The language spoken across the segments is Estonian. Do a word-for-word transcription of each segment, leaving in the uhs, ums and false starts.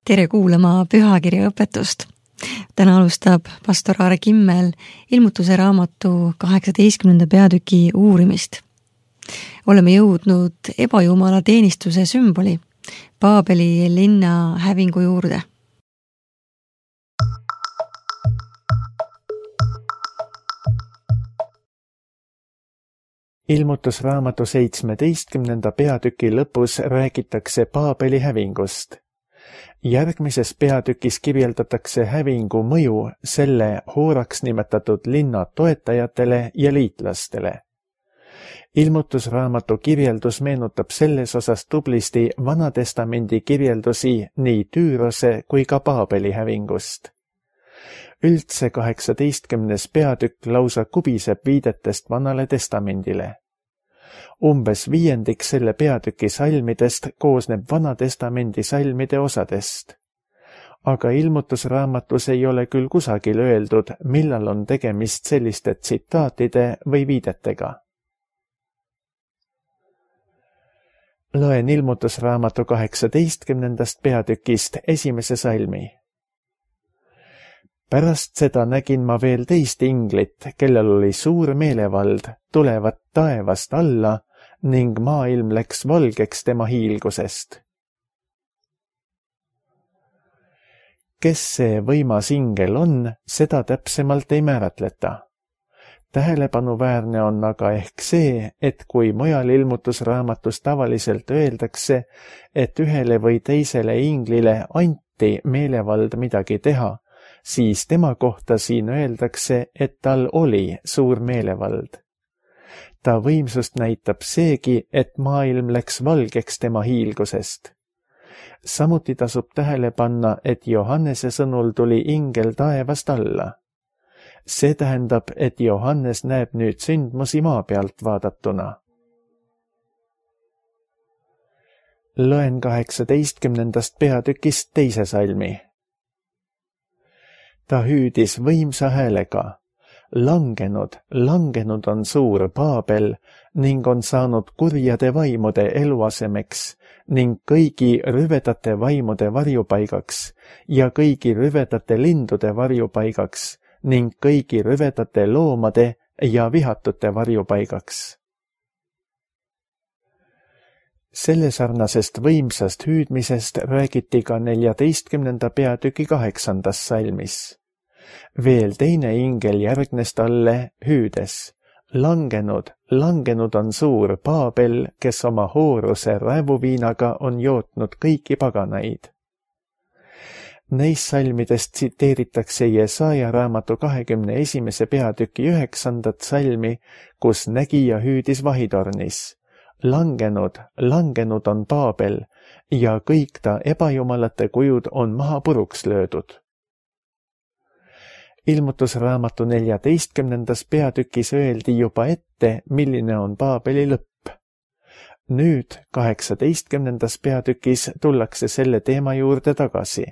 Tere kuulama pühakirja õpetust. Täna alustab pastor Aare Kimmel ilmutuse raamatu kaheksateistkümnenda peatüki uurimist. Oleme jõudnud ebajumala teenistuse sümboli, Paabeli linna hävingu juurde. Ilmutusraamatu seitsmeteistkümnenda peatüki lõpus räägitakse Paabeli hävingust. Järgmises peatükis kirjeldatakse hävingu mõju selle hooraks nimetatud linna toetajatele ja liitlastele. Ilmutusraamatu kirjeldus meenutab selles osas tublisti Vanatestamendi kirjeldusi nii Tüürose kui ka Paabeli hävingust. Üldse kaheksateistkümnes peatükk lausa kubiseb viidetest Vanale testamendile. Umbes viiendik selle peatüki salmidest koosneb Vanatestamendi salmide osadest. Aga ilmutusraamatus ei ole küll kusagil öeldud, millal on tegemist selliste tsitaatide või viidetega. Loen ilmutusraamatu kaheksateistkümnendast peatükist esimese salmi. Pärast seda nägin ma veel teist inglit, kellel oli suur meelevald, tulevat taevast alla ning maailm läks valgeks tema hiilgusest. Kes see võimas ingel on, seda täpsemalt ei määratleta. Tähelepanuväärne on aga ehk see, et kui mujal ilmutusraamatus tavaliselt öeldakse, et ühele või teisele inglile anti meelevald midagi teha, siis tema kohta siin öeldakse, et tal oli suur meelevald. Ta võimsust näitab seegi, et maailm läks valgeks tema hiilgusest. Samuti tasub tähele panna, et Johannese sõnul tuli ingel taevast alla. See tähendab, et Johannes näeb nüüd sündmusi maa pealt vaadatuna. Loen kaheksateistkümnendast peatükist teise salmi. Ta hüüdis võimsa häälega. Langenud, langenud on suur Paabel ning on saanud kurjade vaimude eluasemeks ning kõigi rüvedate vaimude varjupaigaks ja kõigi rüvedate lindude varjupaigaks ning kõigi rüvedate loomade ja vihatute varjupaigaks. Selle sarnasest võimsast hüüdmisest räägiti ka neljateistkümnenda peatüki kaheksandas salmis. Veel teine ingel järgnes talle hüüdes. Langenud, langenud on suur Paabel, kes oma hooruse räävuviinaga on jootnud kõiki paganaid. Neis salmidest tsiteeritakse Jesaja raamatu kahekümne esimese peatüki üheksandat salmi, kus nägija hüüdis vahitornis. Langenud, langenud on Paabel ja kõik ta ebajumalate kujud on maha puruks löödud. Ilmutusraamatu neljateistkümnendas peatükis öeldi juba ette, milline on Paabeli lõpp. Nüüd kaheksateistkümnendas peatükis tullakse selle teema juurde tagasi.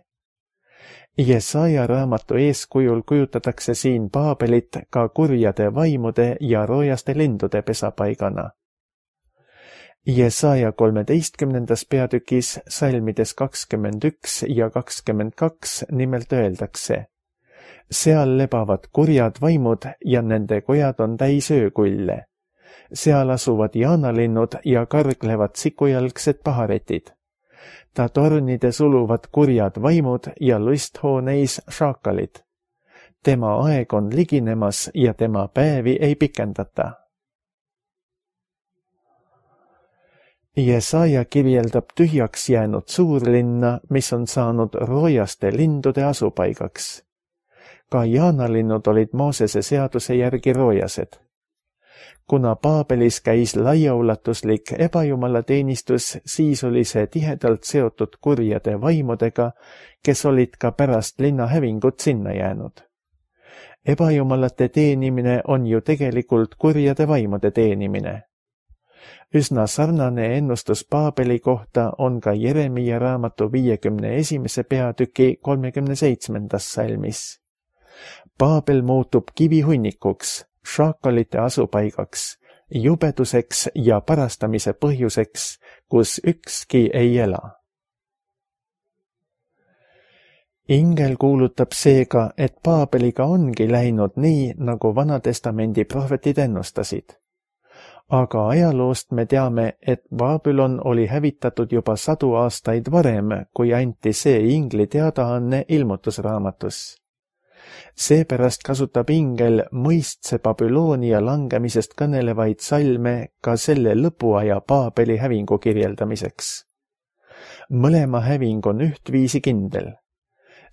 Jesaja raamatu eeskujul kujutatakse siin Paabelit ka kurjade vaimude ja roojaste lindude pesapaigana. Jesaja kolmeteistkümnendas peatükis salmides kakskümmend üks ja kakskümmend kaks nimelt öeldakse. Seal lebavad kurjad vaimud ja nende kojad on täis öökulle. Seal asuvad jaanalinnud ja karglevad sikujalgsed paharetid. Ta tornides uluvad kurjad vaimud ja lusthooneis šaakalid. Tema aeg on liginemas ja tema päevi ei pikendata. Jesaja kirjeldab tühjaks jäänud suurlinna, mis on saanud roojaste lindude asupaigaks. Ka jaanalinnud olid Moosese seaduse järgi roojased. Kuna Paabelis käis laiaulatuslik ebajumala teenistus, siis oli see tihedalt seotud kurjade vaimudega, kes olid ka pärast linna hävingut sinna jäänud. Ebajumalate teenimine on ju tegelikult kurjade vaimude teenimine. Üsna sarnane ennustus Paabeli kohta on ka Jeremia raamatu viiekümne esimese peatüki kolmekümne seitsmendas salmis. Paabel muutub kivihunnikuks, šaakalite asupaigaks, jubeduseks ja parastamise põhjuseks, kus ükski ei ela. ingel kuulutab seega, et Paabeliga ongi läinud nii, nagu Vanatestamendi prohvetid ennustasid. Aga ajaloost me teame, et Babylon oli hävitatud juba sadu aastaid varem, kui anti see ingli teadaanne ilmutusraamatus. Seepärast kasutab ingel mõistse Babyloonia langemisest kõnelevaid salme ka selle lõpuaja Paabeli hävingu kirjeldamiseks. Mõlema häving on ühtviisi kindel.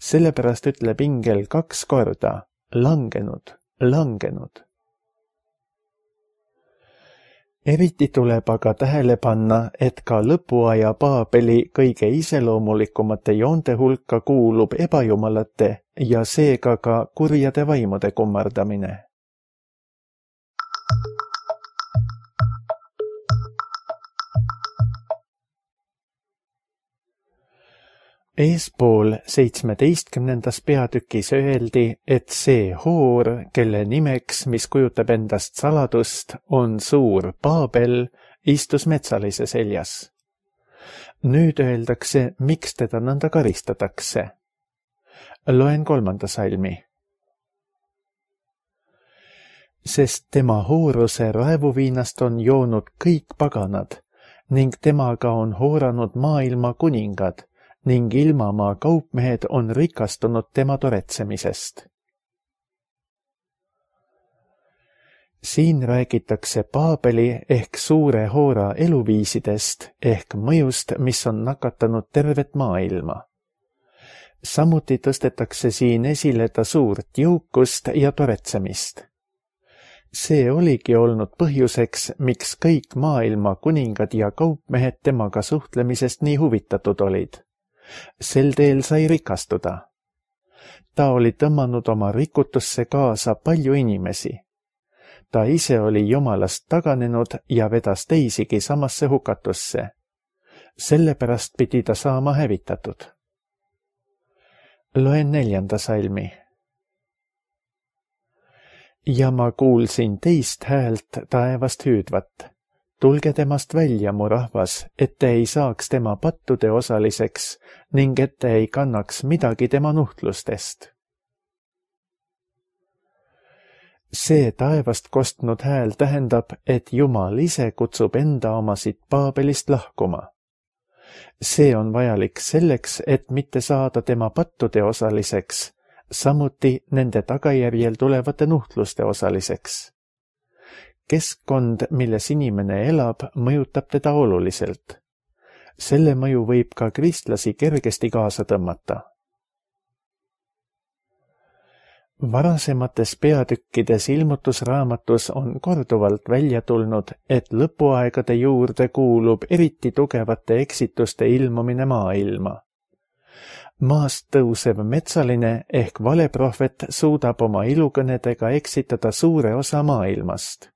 Sellepärast ütleb ingel kaks korda langenud, langenud. Eriti tuleb aga tähele panna, et ka lõpuaja Paabeli kõige iseloomulikumate joonte hulka kuulub ebajumalate ja seega ka kurjade vaimude kummardamine. Eespool seitsmeteistkümnendas peatükis öeldi, et see hoor, kelle nimeks, mis kujutab endast saladust, on suur Paabel, istus metsalise seljas. Nüüd öeldakse, miks teda nõnda karistatakse. Loen kolmanda salmi. Sest tema hooruse raevuviinast on joonud kõik paganad ning temaga on hooranud maailma kuningad ning ilmamaa kaupmehed on rikastunud tema toretsemisest. Siin räägitakse Paabeli ehk suure hoora eluviisidest ehk mõjust, mis on nakatanud tervet maailma. Samuti tõstetakse siin esile ta suurt jõukust ja toretsemist. See oligi olnud põhjuseks, miks kõik maailma kuningad ja kaupmehed temaga suhtlemisest nii huvitatud olid. Sel teel sai rikastuda. Ta oli tõmmanud oma rikutusse kaasa palju inimesi. Ta ise oli Jumalast taganenud ja vedas teisigi samasse hukatusse. Sellepärast pidi ta saama hävitatud. Loen neljanda salmi. Ja ma kuulsin teist häält taevast hüüdvat. Tulge temast välja, mu rahvas, et te ei saaks tema pattude osaliseks ning et te ei kannaks midagi tema nuhtlustest. See taevast kostnud hääl tähendab, et Jumal ise kutsub enda omasid Paabelist lahkuma. See on vajalik selleks, et mitte saada tema pattude osaliseks, samuti nende tagajärjel tulevate nuhtluste osaliseks. Keskkond, milles inimene elab, mõjutab teda oluliselt. Selle mõju võib ka kristlasi kergesti kaasa tõmmata. Varasemates peatükkides ilmutusraamatus on korduvalt välja tulnud, et lõpuaegade juurde kuulub eriti tugevate eksituste ilmumine maailma. Maast tõusev metsaline ehk valeprohvet suudab oma ilukõnedega eksitada suure osa maailmast.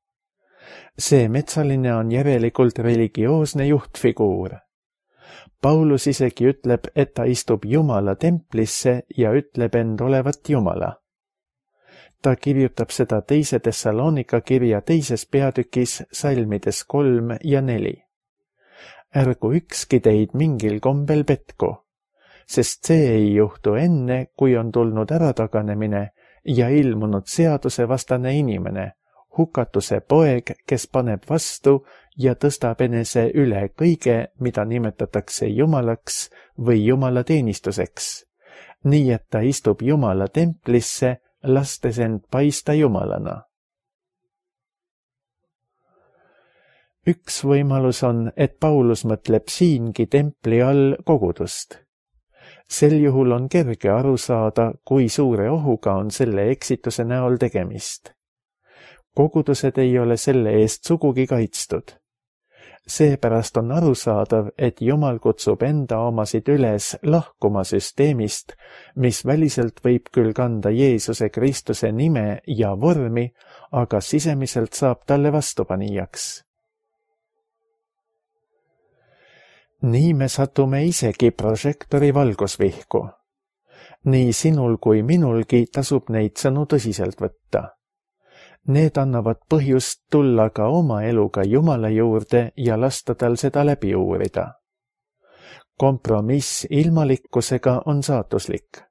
See metsaline on järelikult religioosne juhtfiguur. Paulus isegi ütleb, et ta istub Jumala templisse ja ütleb end olevat Jumala. Ta kirjutab seda teise Thessalonika kirja teises peatükis salmides kolm ja neli. Ärgu ükski teid mingil kombel petku, sest see ei juhtu enne, kui on tulnud ärataganemine ja ilmunud seadusevastane inimene, hukatuse poeg, kes paneb vastu ja tõstab enese üle kõige, mida nimetatakse Jumalaks või Jumala teenistuseks, nii et ta istub Jumala templisse, lastes end paista Jumalana. Üks võimalus on, et Paulus mõtleb siingi templi all kogudust. Sel juhul on kerge aru saada, kui suure ohuga on selle eksituse näol tegemist. Kogudused ei ole selle eest sugugi kaitstud. Seepärast on arusaadav, et Jumal kutsub enda omasid üles lahkuma süsteemist, mis väliselt võib küll kanda Jeesuse Kristuse nime ja vormi, aga sisemiselt saab talle vastupanijaks. Nii me satume isegi prožektori valgusvihku. Nii sinul kui minulgi tasub neid sõnu tõsiselt võtta. Need annavad põhjust tulla ka oma eluga Jumala juurde ja lasta tal seda läbi uurida. Kompromiss ilmalikkusega on saatuslik.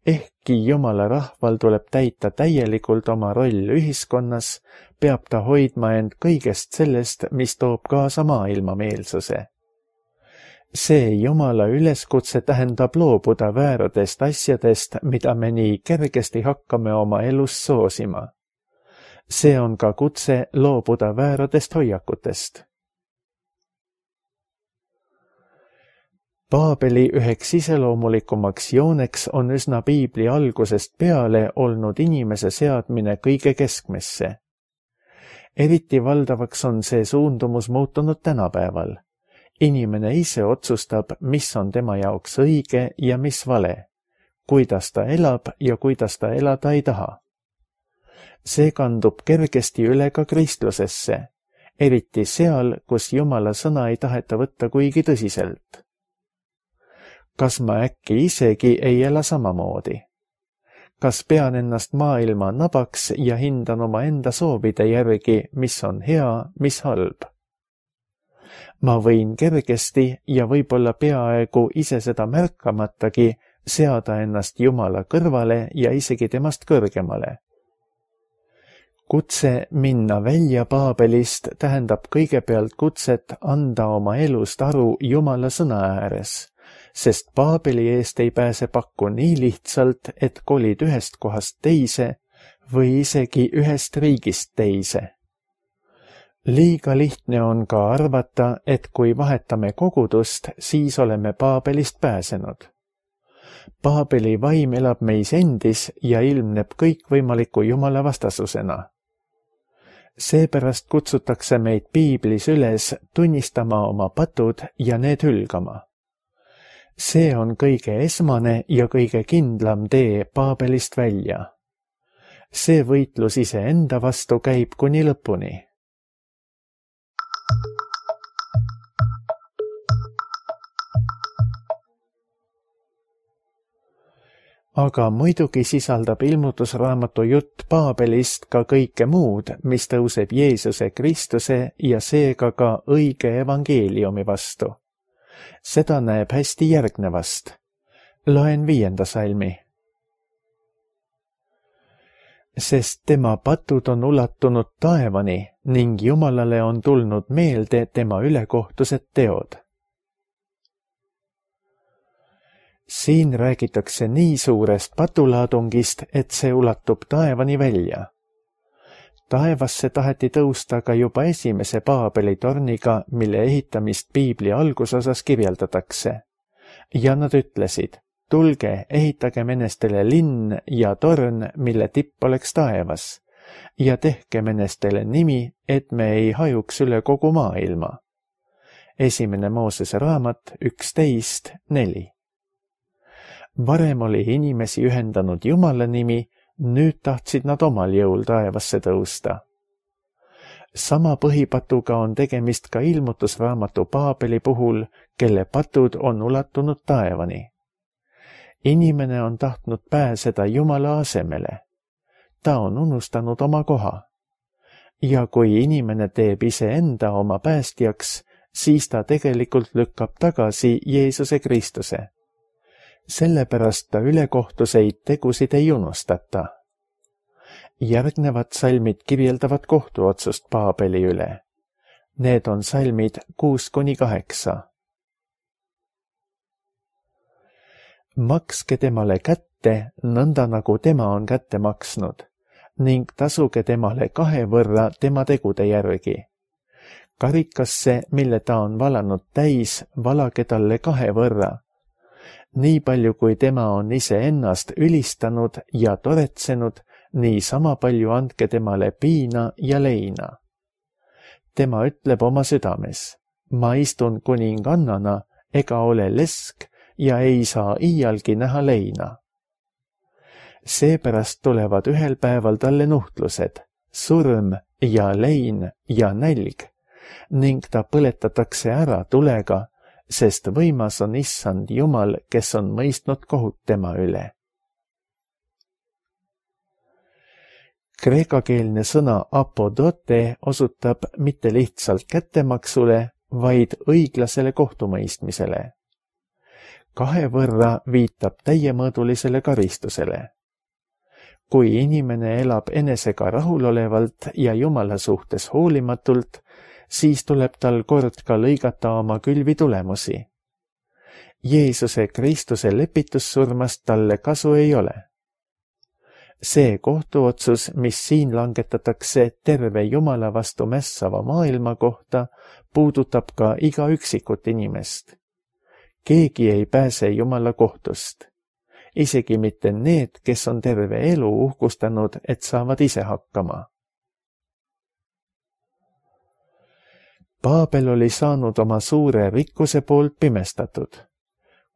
Ehkki Jumala rahval tuleb täita täielikult oma roll ühiskonnas, peab ta hoidma end kõigest sellest, mis toob kaasa maailmameelsuse. See Jumala üleskutse tähendab loobuda vääradest asjadest, mida me nii kergesti hakkame oma elus soosima. See on ka kutse loobuda vääradest hoiakutest. Paabeli üheks iseloomulikumaks jooneks on üsna piibli algusest peale olnud inimese seadmine kõige keskmesse. Eriti valdavaks on see suundumus muutunud tänapäeval. Inimene ise otsustab, mis on tema jaoks õige ja mis vale, kuidas ta elab ja kuidas ta elada ei taha. See kandub kergesti üle ka kristlusesse, eriti seal, kus Jumala sõna ei taheta võtta kuigi tõsiselt. Kas ma äkki isegi ei ela samamoodi? Kas pean ennast maailma nabaks ja hindan oma enda soovide järgi, mis on hea, mis halb? Ma võin kergesti ja võib-olla peaaegu ise seda märkamatagi seada ennast Jumala kõrvale ja isegi temast kõrgemale. Kutse minna välja Paabelist tähendab kõigepealt kutset anda oma elust aru Jumala sõna ääres, sest Paabeli eest ei pääse pakku nii lihtsalt, et kolid ühest kohast teise või isegi ühest riigist teise. Liiga lihtne on ka arvata, et kui vahetame kogudust, siis oleme Paabelist pääsenud. Paabeli vaim elab meis endis ja ilmneb kõikvõimaliku Jumala vastasusena. Seepärast kutsutakse meid piiblis üles tunnistama oma patud ja need hülgama. See on kõige esmane ja kõige kindlam tee Paabelist välja. See võitlus iseenda vastu käib kuni lõpuni. Aga muidugi sisaldab ilmutusraamatu jutt Paabelist ka kõike muud, mis tõuseb Jeesuse Kristuse ja seega ka õige evangeeliumi vastu. Seda näeb hästi järgnevast. Loen viienda salmi. Sest tema patud on ulatunud taevani ning Jumalale on tulnud meelde tema ülekohtused teod. Siin räägitakse nii suurest patulaadungist, et see ulatub taevani välja. Taevasse taheti tõusta ka juba esimese Paabeli torniga, mille ehitamist piibli algusosas kirjeldatakse. Ja nad ütlesid, tulge, ehitage menestele linn ja torn, mille tipp oleks taevas, ja tehke menestele nimi, et me ei hajuks üle kogu maailma. Esimene Moosese raamat üksteist neli. Varem oli inimesi ühendanud Jumala nimi, nüüd tahtsid nad omal jõul taevasse tõusta. Sama põhipatuga on tegemist ka ilmutusraamatu Paabeli puhul, kelle patud on ulatunud taevani. Inimene on tahtnud pääseda Jumala asemele. Ta on unustanud oma koha. Ja kui inimene teeb iseenda oma päästjaks, siis ta tegelikult lükkab tagasi Jeesuse Kristuse. Sellepärast ta ülekohtuseid tegusid ei unustata. Järgnevad salmid kirjeldavad kohtuotsust Paabeli üle. Need on salmid kuus kuni kaheksa. Makske temale kätte, nõnda nagu tema on kätte maksnud, ning tasuge temale kahe võrra tema tegude järgi. Karikasse, mille ta on valanud täis, valage talle kahe võrra. Nii palju, kui tema on ise ennast ülistanud ja toretsenud, nii sama palju andke temale piina ja leina. Tema ütleb oma südames, ma istun kuningannana ega ole lesk ja ei saa iialgi näha leina. Seepärast tulevad ühel päeval talle nuhtlused, surm ja lein ja nälg, ning ta põletatakse ära tulega, sest võimas on issand Jumal, kes on mõistnud kohut tema üle. Kreekakeelne sõna apodote osutab mitte lihtsalt kättemaksule, vaid õiglasele kohtumõistmisele. kahe võrra viitab täiemõõdulisele karistusele. Kui inimene elab enesega rahulolevalt ja Jumala suhtes hoolimatult, siis tuleb tal kord ka lõigata oma külvi tulemusi. Jeesuse Kristuse lepitussurmast talle kasu ei ole. See kohtuotsus, mis siin langetatakse terve Jumala vastu mässava maailma kohta, puudutab ka iga üksikut inimest. Keegi ei pääse Jumala kohtust. Isegi mitte need, kes on terve elu uhkustanud, et saavad ise hakkama. Paabel oli saanud oma suure rikkuse poolt pimestatud.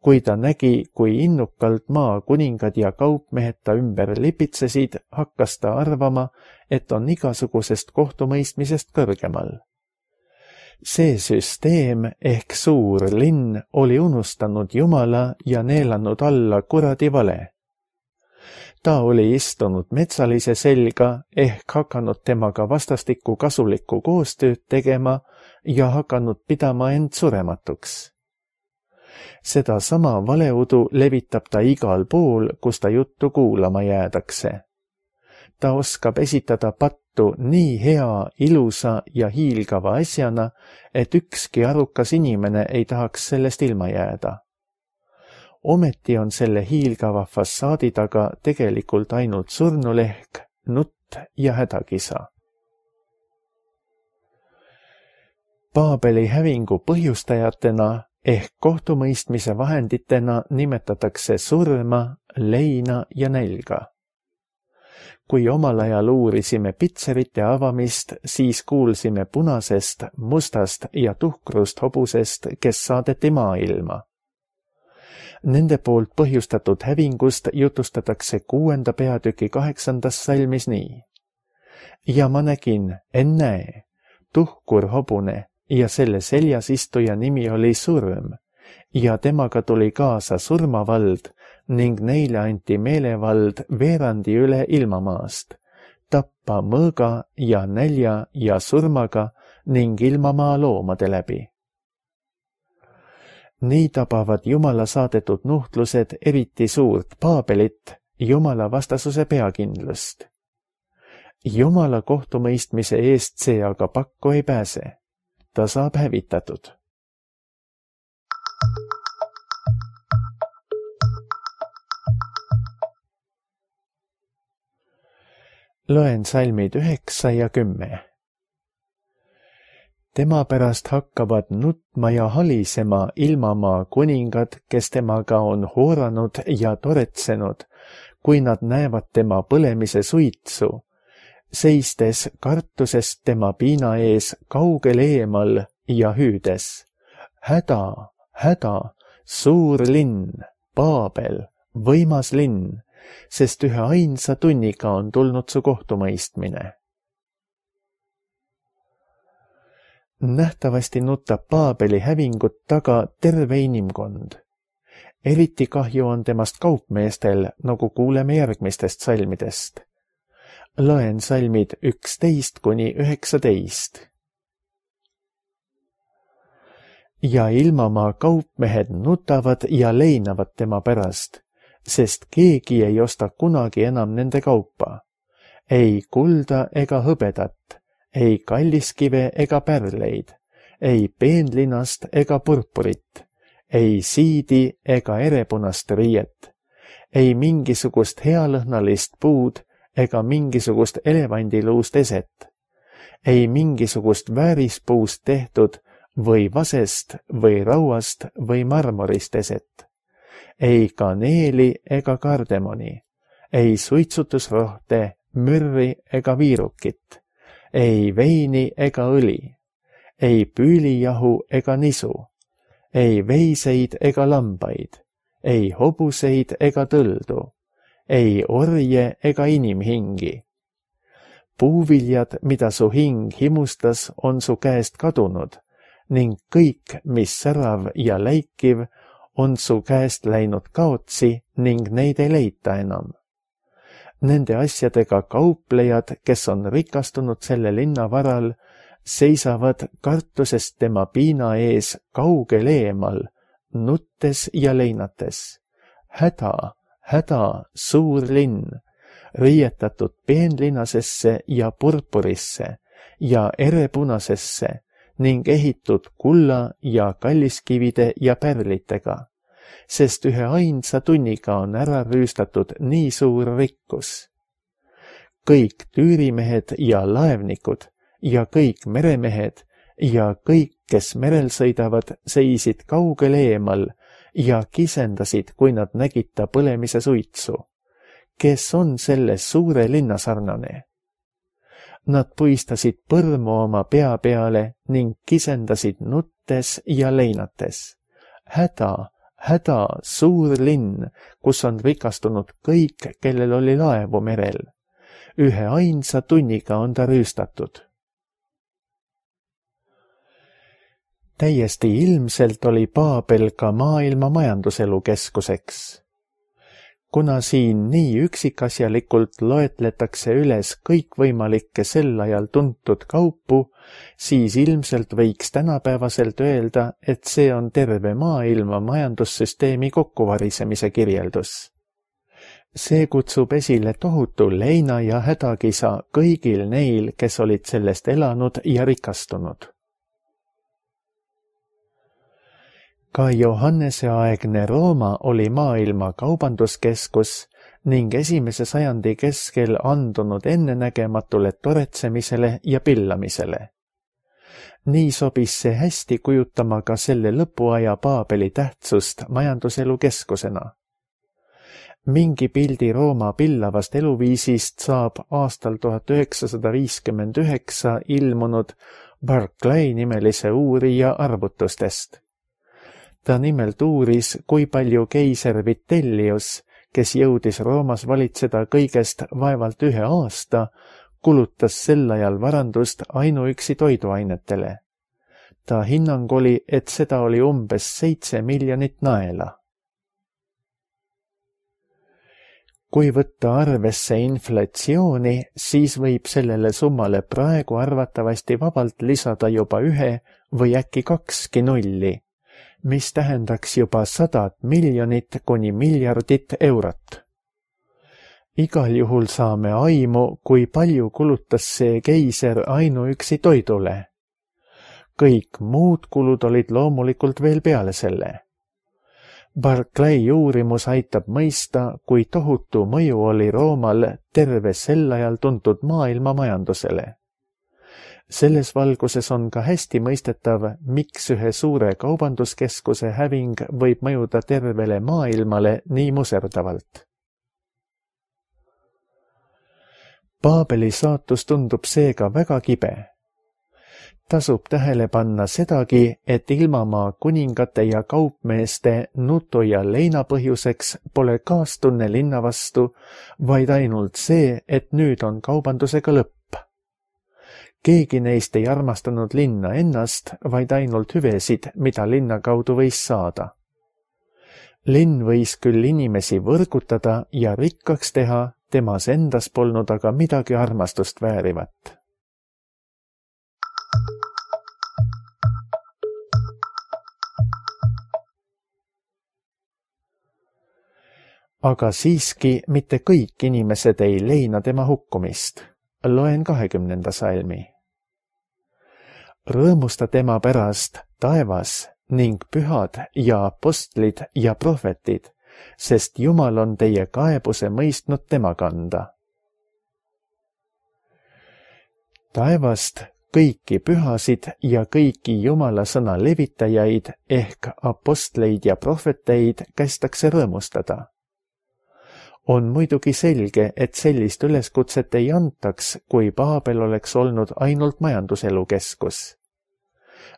Kui ta nägi, kui innukalt maa kuningad ja kaupmehed ta ümber lipitsesid, hakkas ta arvama, et on igasugusest kohtumõistmisest kõrgemal. See süsteem ehk suur linn oli unustanud Jumala ja neelanud alla kuradi vale. Ta oli istunud metsalise selga ehk hakanud temaga vastastikku kasulikku koostööd tegema ja hakanud pidama end surematuks. Seda sama valeudu levitab ta igal pool, kus ta juttu kuulama jäädakse. Ta oskab esitada pattu nii hea, ilusa ja hiilgava asjana, et ükski arukas inimene ei tahaks sellest ilma jääda. Ometi on selle hiilgava fassaadi taga tegelikult ainult surnulehk, nutt ja hädakisa. Paabeli hävingu põhjustajatena ehk kohtumõistmise vahenditena nimetatakse surma, leina ja nälga. Kui omal ajal uurisime pitserite avamist, siis kuulsime punasest, mustast ja tuhkrust hobusest, kes saadeti maailma. Nende poolt põhjustatud hävingust jutustatakse kuuenda peatüki kaheksandas salmis nii. Ja ma nägin, ennäe, tuhkur hobune ja selle seljas istuja nimi oli surm ja temaga tuli kaasa surmavald ning neile anti meelevald veerandi üle ilmamaast, tappa mõõga ja nälja ja surmaga ning ilmamaa loomade läbi. Nii tabavad Jumala saadetud nuhtlused eriti suurt Paabelit, Jumala vastasuse peakindlust. Jumala kohtumõistmise eest see aga pakku ei pääse. Ta saab hävitatud. Loen salmid üheksa ja kümme. Tema pärast hakkavad nutma ja halisema ilmamaa kuningad, kes temaga on hooranud ja toretsenud, kui nad näevad tema põlemise suitsu, seistes kartusest tema piina ees kaugel eemal ja hüüdes. Häda, häda, suur linn, Paabel, võimas linn, sest ühe ainsa tunniga on tulnud su kohtumõistmine. Nähtavasti nutab Paabeli hävingut taga terve inimkond. Eriti kahju on temast kaupmeestel, nagu kuuleme järgmistest salmidest. Loen salmid üksteist kuni üheksateist. Ja ilmamaa kaupmehed nutavad ja leinavad tema pärast, sest keegi ei osta kunagi enam nende kaupa. Ei kulda ega hõbedat, ei kalliskive ega pärleid, ei peenlinast ega purpurit, ei siidi ega erepunast riiet, ei mingisugust healõhnalist puud ega mingisugust elevandiluust eset, ei mingisugust väärispuust tehtud või vasest või rauast või marmorist eset, ei kaneeli ega kardemoni, ei suitsutusrohte, mürri ega viirukit, ei veini ega õli, ei püülijahu ega nisu, ei veiseid ega lambaid, ei hobuseid ega tõldu, ei orje ega inimhingi. Puuviljad, mida su hing himustas, on su käest kadunud ning kõik, mis särav ja läikiv, on su käest läinud kaotsi ning neid ei leita enam. Nende asjadega kauplejad, kes on rikastunud selle linna varal, seisavad kartusest tema piina ees kaugel eemal, nuttes ja leinates. Häda, häda, suur linn, riietatud peenlinasesse ja purpurisse ja erepunasesse ning ehitud kulla ja kalliskivide ja pärlitega, sest ühe ainsa tunniga on ära rüüstatud nii suur rikkus. Kõik tüürimehed ja laevnikud ja kõik meremehed ja kõik, kes merel sõidavad, seisid kaugel eemal ja kisendasid, kui nad nägid ta põlemise suitsu. Kes on selle suure linna sarnane? Nad puistasid põrmu oma pea peale ning kisendasid nuttes ja leinates. Häda, häda, suur linn, kus on rikastunud kõik, kellel oli laevu merel. Ühe ainsa tunniga on ta rüüstatud. Täiesti ilmselt oli Paabel ka maailma majanduselu keskuseks. Kuna siin nii üksikasjalikult loetletakse üles kõikvõimalikke sel ajal tuntud kaupu, siis ilmselt võiks tänapäevaselt öelda, et see on terve maailma majandussüsteemi kokkuvarisemise kirjeldus. See kutsub esile tohutu leina ja hädakisa kõigil neil, kes olid sellest elanud ja rikastunud. Ka Johannese aegne Rooma oli maailma kaubanduskeskus ning esimese sajandi keskel andunud ennenägematule toretsemisele ja pillamisele. Nii sobis see hästi kujutama ka selle lõpuaja Paabeli tähtsust majanduselu keskusena. Mingi pildi Rooma pillavast eluviisist saab aastal tuhat üheksasada viiskümmend üheksa ilmunud Barclay nimelise uurija arvutustest. Ta nimelt uuris, kui palju keiser Vitellius, kes jõudis Roomas valitseda kõigest vaevalt ühe aasta, kulutas sel ajal varandust ainuüksi toiduainetele. Ta hinnang oli, et seda oli umbes seitse miljonit naela. Kui võtta arvesse inflatsiooni, siis võib sellele summale praegu arvatavasti vabalt lisada juba ühe või äkki kakski nulli, mis tähendaks juba sadat miljonit kuni miljardit eurot. Igal juhul saame aimu, kui palju kulutas see keiser ainuüksi toidule. Kõik muud kulud olid loomulikult veel peale selle. Barclay uurimus aitab mõista, kui tohutu mõju oli Roomal terve sel ajal tuntud maailma majandusele. Selles valguses on ka hästi mõistetav, miks ühe suure kaubanduskeskuse häving võib mõjuda tervele maailmale nii muserdavalt. Paabeli saatus tundub seega väga kibe. Tasub tähele panna sedagi, et ilmamaa kuningate ja kaupmeeste nutu ja leina põhjuseks pole kaastunne linna vastu, vaid ainult see, et nüüd on kaubandusega lõpp. Keegi neist ei armastanud linna ennast, vaid ainult hüvesid, mida linna kaudu võis saada. Linn võis küll inimesi võrgutada ja rikkaks teha, temas endas polnud aga midagi armastust väärivat. Aga siiski mitte kõik inimesed ei leina tema hukkumist. Loen kahekümnenda salmi. Rõõmusta tema pärast taevas ning pühad ja apostlid ja prohvetid, sest Jumal on teie kaebuse mõistnud tema kanda. Taevast kõiki pühasid ja kõiki Jumala sõna levitajaid ehk apostleid ja prohveteid kästakse rõõmustada. On muidugi selge, et sellist üleskutset ei antaks, kui Paabel oleks olnud ainult majanduselu keskus.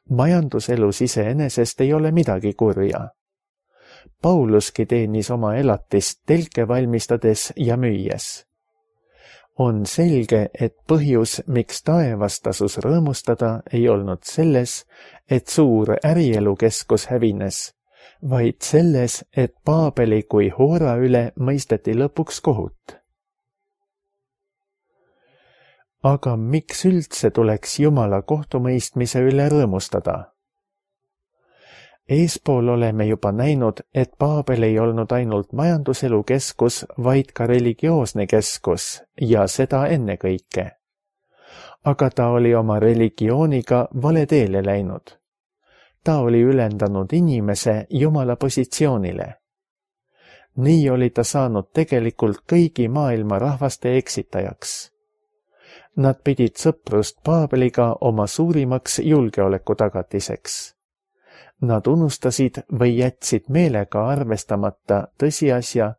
Majanduselus iseenesest ei ole midagi kurja. Pauluski teenis oma elatist telke valmistades ja müües. On selge, et põhjus, miks taevas tasus rõõmustada, ei olnud selles, et suur ärielukeskus hävines, vaid selles, et Paabeli kui hoora üle mõisteti lõpuks kohut. Aga miks üldse tuleks Jumala kohtumõistmise üle rõõmustada? Eespool oleme juba näinud, et Paabel ei olnud ainult majanduselu keskus, vaid ka religioosne keskus ja seda ennekõike. Aga ta oli oma religiooniga vale teele läinud. Ta oli ülendanud inimese Jumala positsioonile. Nii oli ta saanud tegelikult kõigi maailma rahvaste eksitajaks. Nad pidid sõprust Paabeliga oma suurimaks julgeoleku tagatiseks. Nad unustasid või jätsid meelega arvestamata tõsiasja,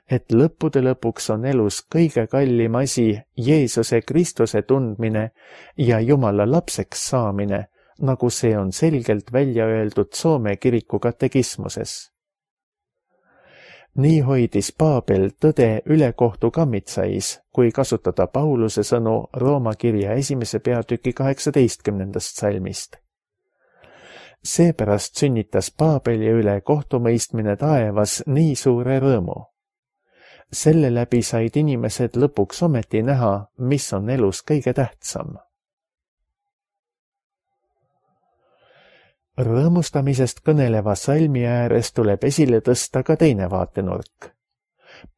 et lõppude lõpuks on elus kõige kallim asi Jeesuse Kristuse tundmine ja Jumala lapseks saamine, nagu see on selgelt välja öeldud Soome kiriku katekismuses. Nii hoidis Paabel tõde ülekohtu kammitsais, kui kasutada Pauluse sõnu Rooma kirja esimese peatüki kaheksateistkümnendast salmist. Seepärast sünnitas Paabeli üle kohtumõistmine taevas nii suure rõõmu. Selle läbi said inimesed lõpuks ometi näha, mis on elus kõige tähtsam. Rõõmustamisest kõneleva salmi ääres tuleb esile tõsta ka teine vaatenurk.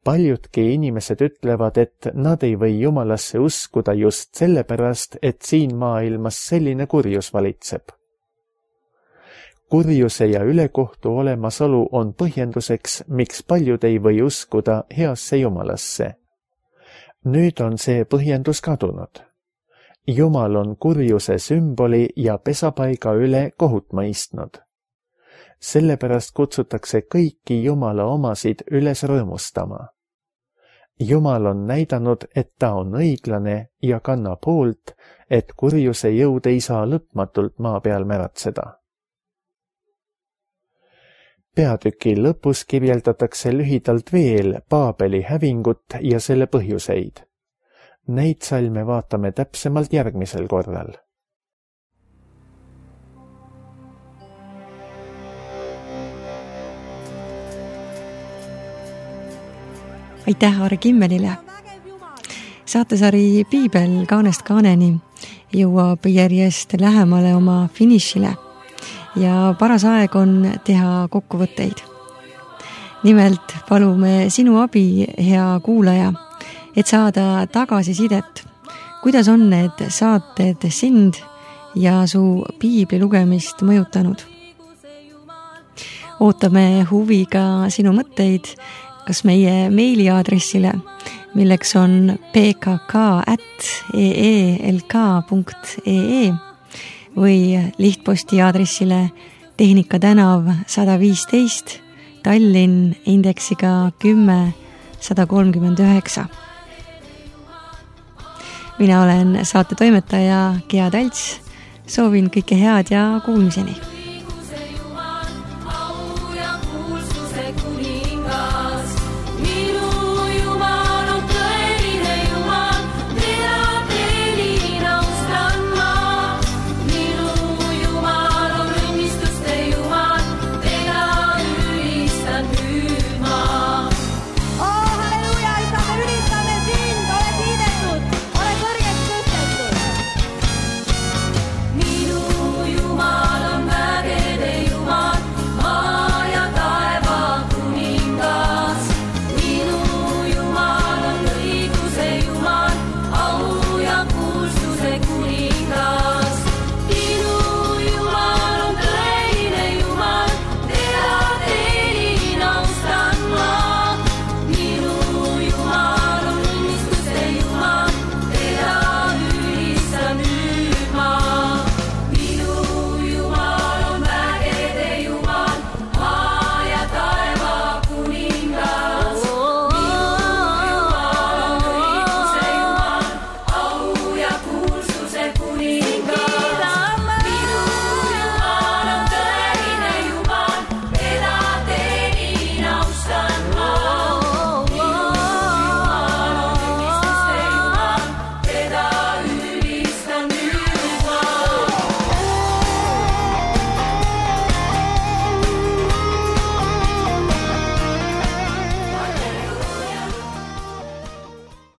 Paljudki inimesed ütlevad, et nad ei või Jumalasse uskuda just sellepärast, et siin maailmas selline kurjus valitseb. Kurjuse ja ülekohtu olemasolu on põhjenduseks, miks paljud ei või uskuda heasse Jumalasse. Nüüd on see põhjendus kadunud. Jumal on kurjuse sümboli ja pesapaiga üle kohut mõistnud. Sellepärast kutsutakse kõiki Jumala omasid üles rõõmustama. Jumal on näidanud, et ta on õiglane ja kannab hoolt, et kurjuse jõud ei saa lõpmatult maa peal märatseda. Peatüki lõpus kirjeldatakse lühidalt veel Paabeli hävingut ja selle põhjuseid. Neid salme vaatame täpsemalt järgmisel korral. Aitäh Aare Kimmelile! Saatesari Piibel kaanest kaaneni jõuab järjest lähemale oma finišile. Ja paras aeg on teha kokkuvõtteid. Nimelt palume sinu abi, hea kuulaja, et saada tagasisidet, kuidas on need saated sind ja su piibli lugemist mõjutanud. Ootame huviga sinu mõtteid, kas meie meiliaadressile, milleks on p k k at e e l k punkt e e või lihtposti aadressile Tehnika tänav sada viisteist, Tallinn indeksiga kümme sada kolmkümmend üheksa. Mina olen saate toimetaja Gea Talts, soovin kõike head ja kuulmiseni!